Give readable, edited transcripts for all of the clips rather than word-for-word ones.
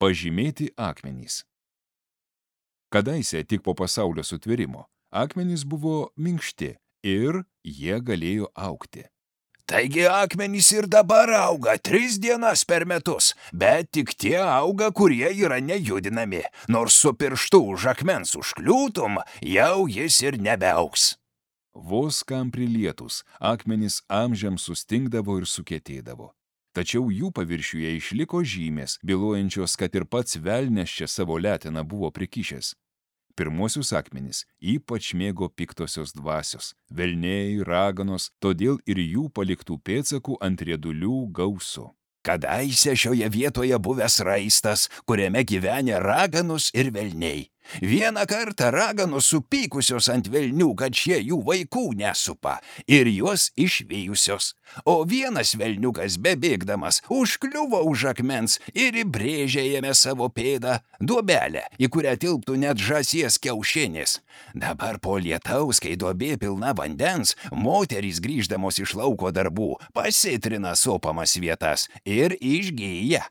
Pažymėti akmenys. Kadaise tik po pasaulio sutvėrimo akmenys buvo minkšti ir jie galėjo augti. Taigi akmenys ir dabar auga 3 dienas per metus, bet tik tie auga, kurie yra nejudinami, nors su pirštu už akmens užkliūtum, jau jis ir nebeaugs. Vos kam prilietus, akmenys amžiams sustingdavo ir sukietėdavo. Tačiau jų paviršiuje išliko žymės, bylojančios, kad ir pats velnias čia savo leteną buvo prikišęs. Pirmuosius akmenis ypač mėgo piktosios dvasios, velniai, raganos, todėl ir jų paliktų pėdsakų ant riedulių gausu. Kadaise šioje vietoje buvęs raistas, kuriame gyvenė raganos ir velniai. Vieną kartą raganos supykusios ant velnių, kad šie jų vaikų nesupa, ir juos išvijusios. O vienas velniukas bebėgdamas užkliuvo už akmens ir įbrėžė jame savo pėdą, duobelę, į kurią tilptų net žąsies kiaušinis. Dabar po lietaus, kai duobė pilna vandens, moterys grįždamos iš lauko darbų pasitrina sopamas vietas ir išgyja.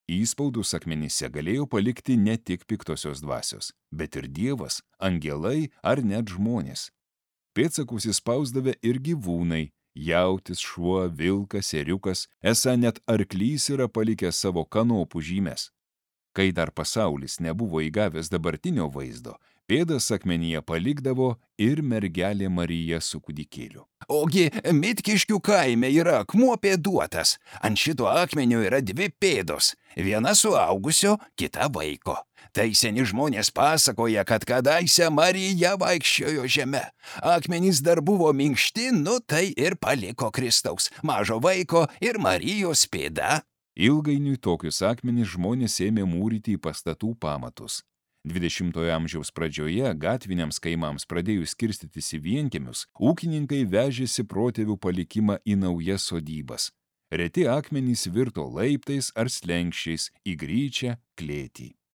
Įspaudus akmenyse galėjo palikti ne tik piktosios dvasios, bet ir dievas, angelai ar net žmonės. Pėdsakus įspausdavę ir gyvūnai, jautis, šuo, vilkas, ėriukas, esą net arklys yra palikęs savo kanopų žymes. Kai dar pasaulis nebuvo įgavęs dabartinio vaizdo, pėdas akmenyje palikdavo ir mergelė Marija su kūdikėliu. Ogi Mitkiškių kaime yra akmuo pėduotas. Ant šito akmenio yra 2 pėdos. Viena suaugusio, kita vaiko. Tai seni žmonės pasakoja, kad kadaise Marija vaikščiojo žeme. Akmenys dar buvo minkšti, tai ir paliko Kristaus, mažo vaiko ir Marijos pėda. Ilgainiui tokius akmenys žmonės ėmė mūryti į pastatų pamatus. 20-ojo amžiaus pradžioje gatviniams kaimams pradėjus skirstytis į vienkiemius, ūkininkai vežėsi protėvių palikimą į naujas sodybas. Reti akmenys virto laiptais ar slenkščiais į gryčią klėtį.